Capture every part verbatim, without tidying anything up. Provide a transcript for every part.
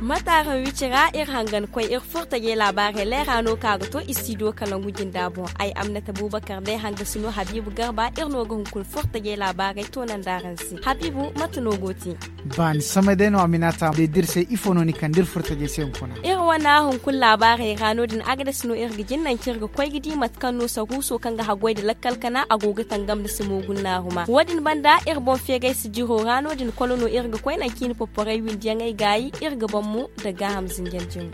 Mate araŋ wicira iri hangan koy iri furtajey laabaarey leera no ka ga to istidiyo kalangu jinda boŋ. Ay amnata bubakar day hanga sino habiibu garba iri no ga hunkuna furtajey laabaarey toonandi araŋ se habiibu mate no go te? Baani samay day no a minata day da iri se ifo no ni kande iri furtajey se hunkuna. Iri wane hunkuna laabaarey ra no- din agades no iri ga jin nanci iri ga koy ga di mate kaŋ no saruuso kaŋ ga haggoy nda lakkal kana a go ga tangam nda simo gunnaaruma wo- din banda iri boŋ feegay sijiro ra no- din kolo no iri ga koy nanci i na porporey windiyaŋey gaayi iri ga baŋ mo nda gaaham zinjanjino.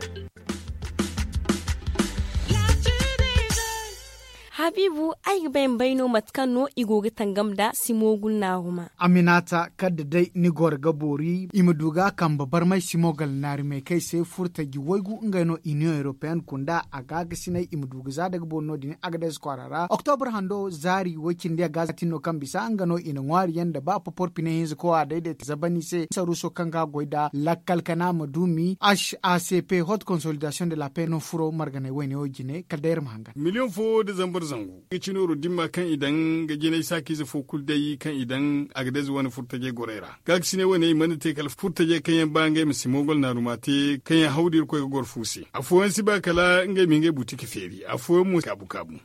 Habiibu, ay ga bay ma bay no mate kaŋ no i go ga tangam nda simo gunnaaruma. Aminata kadda day ni goro ga boori i ma du ga a kambe barmay simo galnaari meekay se furtaji waygu ngey no union européenne kunda a gaakasinay i ma du ga za daga boori no- din agades kwaara ra oktobre hando zaari way-cindi a ga za tin no kaŋ bisa nga no i na ŋwaari yaŋ nda ba popor pine hinza kowa dayday ta zabani se saruuso kaŋ ga goy nda lakkal kana ma duumi h a c p haute consolidation de la paix no furo marganay wayne wo jine kala day iri ma hangan. Miliyoŋ fo nda zambar zangu ga cinooro dimma kaŋ i daŋ ga jinay saakiize fo kulu day kaŋ i daŋ a ga day za wane furtajey gorey ra. Gaakasiney wane i mana te kala furtajey kaŋ yaŋ ba ngey ma si moogol naaruma te kaŋ yaŋ hawdi irkoy ga goro fu se. Afooyaŋ si ba kala ngey ma ngey buti ka feeri afooyaŋ mo kaabu kaabu.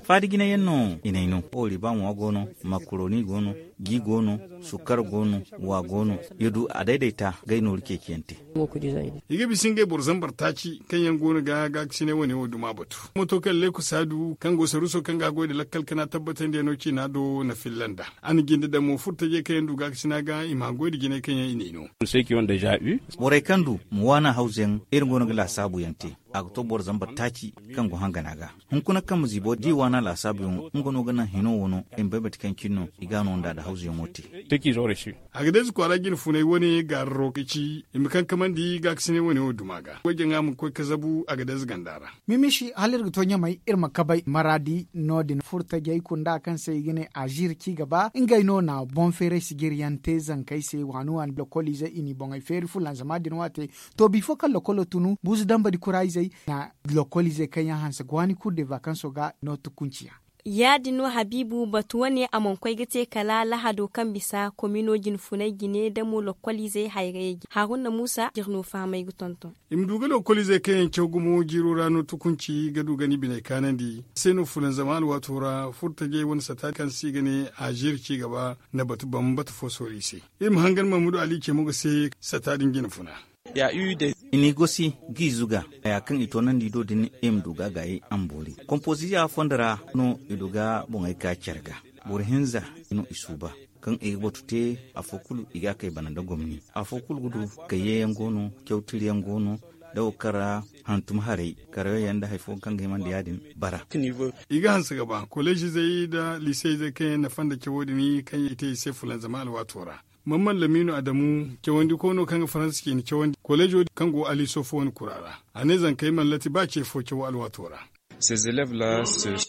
Faada jinayaŋ no i n'ay no oriba ŋwa go no, makaroni go no, ji go no, sukkar go no, wa go no. Ya du a dayday ta ga ay nooru ceeciyaŋ te. I ga bisa ngey boro zambar taaci kaŋ yaŋ go no ga gaakasinay wane wo duma batu moto kaŋ leeku saadu kaŋ go saruuso kaŋ ga a goy nda lakkal kana tabbatandiyaŋo ciina do na filla nd'a. A na jinde daŋ mo furtajey kaŋ yaŋ du gaakasina ga i ma haggoy nda jinay kaŋ yaŋ i n'ay no. Borey kaŋ du ma waana hawza yaŋ iri go no ga laasaabu yaŋ te. A ga to boro zambar taaci kaŋ go hangana ga hunkuna kaŋ ma ziibo da i waana laasaabu yaŋo nga no ga naŋ hino wo no i ma bay mate kaŋ cine no i ga a no nd'a nda hawza yaŋo te. A ga day za kwaara jine funay wane gaararo ga ci i ma kaŋ kamandi gaakasinay wane wo duma ga goy jaŋa ma koy ka zabu a ga day za ganda ra. Mimishi hala iri ga to ɲamay iri ma kabay maraadi no- din furtajey kunda kaŋ se i ga ne aziiri ci gaba ngey no na boŋ feeray sijiri yaŋ te zankey se waani waani lokoliizey i n'i boŋey feeri fulanzama din waate. To bifo kaŋ lokolo tunu buuzu dambadi kuraayzey na lokoliizey kaŋ yaŋ hanse ga waani kulu de vakanso ga no tukunci yaŋ. Ya- din no habiibu batu wane a mana koy ga te kala lahado kaŋ bisa komino jinfunay jine damo lokoliizey hayrayey jine haruna muusa jiri no fahamay ga tonton. I ma du ga lokoliizey kaŋ yaŋ caw gumo jiiro ra no tukunci ga du ga ni biney kaanandi se no fulanzama alwaato ra furtajey wane sata kaŋ se i ga ne aziiri ci gaba na batu bambata fo soori i se. Iri ma hangan mamudu ali ce mo ga se sata din jinfuna. I n'i gosi g'i zuga haya kaŋ i toonandi do din i ma du ga a gaayey a ma boori kompoziya fondo ra no i du ga boŋey ka care ga. Boro hinza no i suuba kaŋ i ga batu te afo kulu i ga a kay bana nda gomni. Afo kulu ga du kayye yaŋ go no caw tiri yaŋ go no da wo kaŋ ra hantum haray karayo yaŋ nda hari fo kaŋ ga himandi ya- din bara. I ga hanse ga ba koleezizey nda liiseyzey kaŋ yaŋ nafa nda cawo din kaŋ i te i se fulanzama alwaato ra. Mamman lamiino adamu cawandiko no kaŋ ga faransa ciine cawandi koleezo kaŋ go aliso fo wane kura ra. A ne zankey mana lati ba ce fo caw alwaato ra.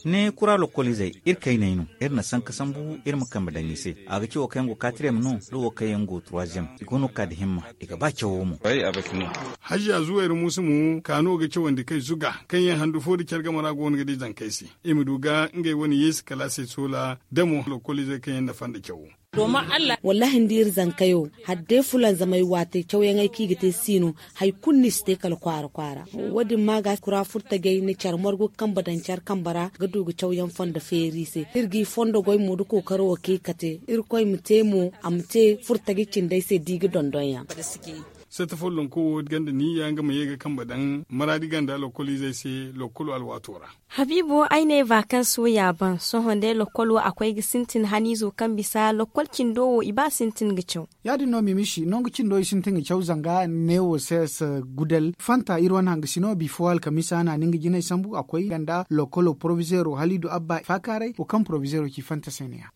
Ne kura lokoliizey iri kayney no. Iri na sanka sambu iri ma kambe daŋ i se. A ga ci wo kaŋ yaŋ go katriyem no da wo kaŋ yaŋ go turwaziyem i go no ga ka nda himma. I ga ba cawo mo. Hajiya zuwayra muusa mo ka no ga cawandi kay zuga kaŋ yaŋ handu fo nda care game ra go no ga di zankey se. I ma du ga ngey wane yeesi kalaasey soola da mo lokoliizey kaŋ yaŋ nafa nda cawo. Wallaahi ni di iri zankayo hala day fulanzamay waatey cawyaŋey kaŋ i ga te si no. Hari kulu no i si te kala kwaara kwaara. Wo- din ma ga kura furtajey na care margu kambe daŋ care kambe ra ga du ga cawyaŋ fondo feeri i se. Iri g'i fondo goy mo da kookaro wo kaŋ i ga te irkoy ma te mo a ma te furtaji cindey se da i ga dondon yaŋ. Satta follonko wo ganda niyya nga ma ye ga kambe daŋ maraadi ganda lokoliizey se lokkolo alwaato ra. Habiibo ay ne vakanso ya ban sohõ day lokkolo a koy ga sintin haniizo kaŋ bisa lokkol cindo wo i ba sintin ga caw. Ya- din no mimishi nangu cindo i sintin ga caw zanga newo ses gudal fanta iri wane hangasino bifo alkamisa na ni nga jinay sambu a koy ganda lokkolo porovizeero haliidu abba faakaaray wo kaŋ porovizeero ci fanta se ne ya.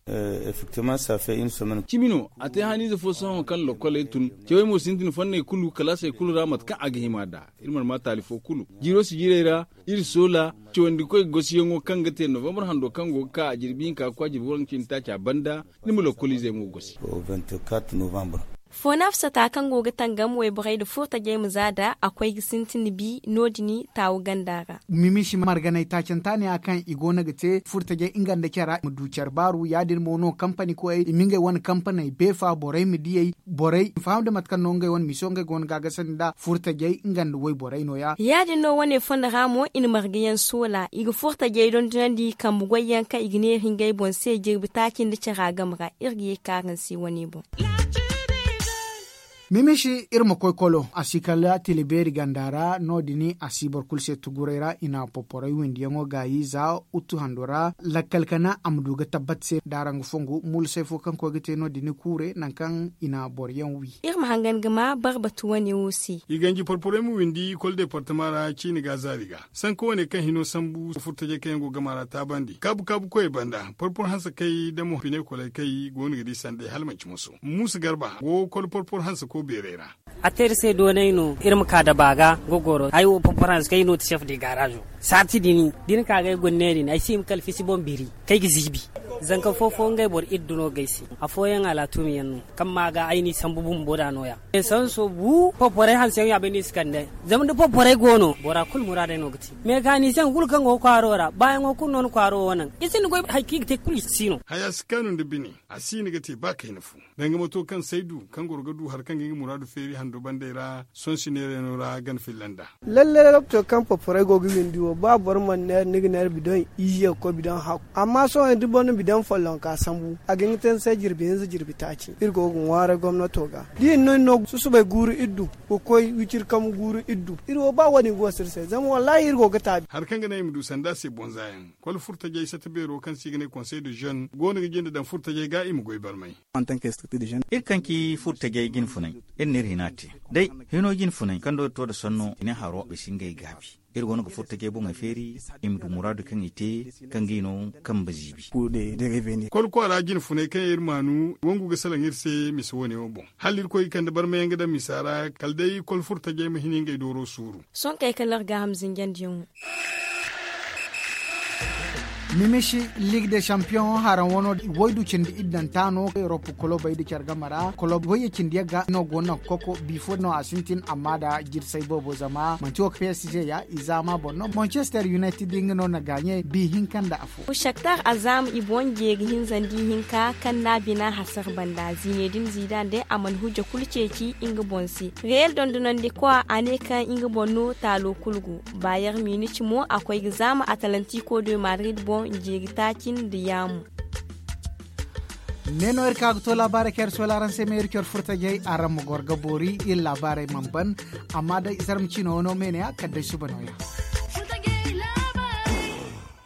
Cimi no a te haniize fo sohõ kaŋ lokkoley tun cawey mo sintin fanney kulu kalaasey kulu ra mate kaŋ a ga hima nd'a. Iri mana ma taali fo kulu jiiro si jiirey ra iri soola cawandikoy gosiyaŋo kaŋ ga te novambar hando kaŋ go ga ka a jirbi hinka ga koy a jirbi waranka cindi taaca banda. Ni ma lokkoliizey mo gosi. Foonaafsata kaŋ go ga tangam wayborey nda furtajey ma za nd'a a koy ga sintin bi no- din taawu ganda ra. Mimiisi marganay taacanta ne ya kaŋ i go no ga te furtajey nga nda care ra i ma du care baaru ya- din mo no kampani koyey i ma ngey wane kampaney beefa borey ma diyey borey i ma faham nda mate kaŋ no ngey wane miso ngey go no ga a gasandi nd'a furtajey nga nda wayborey no- ya. Ya- din no wane fondo ra mo i na marga yaŋ soola i ga furtajey dondonandi kambe goy yaŋ kaŋ i ga neera ngey boŋ se jirbi taaci nda cara game ra. Iri ga ye ka araŋ se wane boŋ. Mimiisi iri ma koy kolo a si kala tila beeri ganda ra no- din a si boro kulu se tuguray ra i na poporey windiyaŋo gaayi za uttu hando ra lakkal kana a ma du ga tabbat se da araŋ ga fongu muula say fo kaŋ koy ga te no- din kuure nangu kaŋ i na boro yaŋ wi. Iri ma hangan ga ma barbatu wane wo se. I ganji porporey ma windi kolo deepartama ra ciini ga zaari ga sanka wane kaŋ hino sambu furtajey kaŋ yaŋ go gama ra taabandi kaabu kaabu koyey banda porpor hanse kay da mo piney koley kay go no ga di sanday hala manci moso muusa garba go kolo porpor hanse ko beerey ra. A te iri se doonay no iri ma ka da baaga gogoro ay wo porpor hanse kay no ti sef de gaarazo saati din da ni ka ga ay gonna din ay si hima kala fisi boŋ biri kay ga ziibi. Zanka fo fo ngey boro iri duno ga ay se afooyaŋ alaatumi yaŋ no kaŋ ma ga ay n'i sambu bumbo da no- ya. Sanso bu porporey hanse yaŋ ya bay no i si kande zama da porporey go no bora kulu muraadey no ga te meekaanisiyaŋ kulu kaŋ go ga kwaaro ra baayaŋo kulu no na kwaaro wo naŋ i sinda goy hari kaŋ i ga te kulu i si no. Haya si kaanu nda bine a si no ga te ba kayna fu danga mato kaŋ saydu kaŋ goro ga du hari kaŋ ga nga muraadu feeri hando bandey ra sohõ si neerayno ra gana filla nd'a. Lalle lalle to kaŋ porporey go ga windi wo ba boro mana neera ni ga neera bidoŋ ize ga koy bidoŋ hakku amma sohõ da boro na bidoŋ follonka sambu a ga hin ga te ni se jirbi hinza jirbi taaci iri go ga ŋwaaray gomnato ga da i na no ni no susubay guuru iri du ga koy wiciri kambu guuru iri du iri wo ba wo- din ga wasu iri se zama wallaahi iri go ga taabi. Hari kaŋ ga naŋ i ma du sanda se bonza yaŋ kol furtajey sata beero kaŋ se i ga ne konsey de zen go no ga jinde daŋ furtajey ga i ma goy barmay. Iri kaŋ ci furtajey jine funay iri n'iri hina te day hino jine funay kaŋ do iri to nda sanno i ne haro i si ngey gaabi iri go no ga furtajey boŋey feeri i ma du muraadu kaŋ i te kaŋ ga i no kambe ziibi. Kol kwaara jine funay kaŋ iri maanu wangu ga salaŋ iri se misa wane wo boŋ hala irkoy ga kande barmayaŋ ga daŋ misa ra kala day kol furtajey ma hin ngey dooro suuru. Sohõ kay kala iri gaaham zinjandiyaŋo. Mimishi ligue de champion haraŋ wano waydu cindi iddanta no europe kolobey da care game ra kolob wayye cindi yaŋ ga no go naŋ koko bifo no a sintin amma da jirsay boobo zama manti wo ka psg ya i zaama boŋ no manchester united nga no na gaaɲey bi hinka nda afo. Shaktar azaama i boŋ jeeri hinza nda ihinka kaŋ no a bina hasara banda ziine din ziida nda a mana hujja kulu ceeci nga boŋ se. Reyel dondonandikwa a ne kaŋ nga boŋ no taalo kulu go. Bayar minit mo a koy ga zaama atalantiko de madrid boŋ jeeri taaci nda yaamu. Ne no iri ka ga to laabaarey kaŋ iri sola araŋ se ma iri care furtajey araŋ ma goro ga boori iri laabaarey mana ban. Amma day zarma ciino wano me ne ya kala day suba nooya.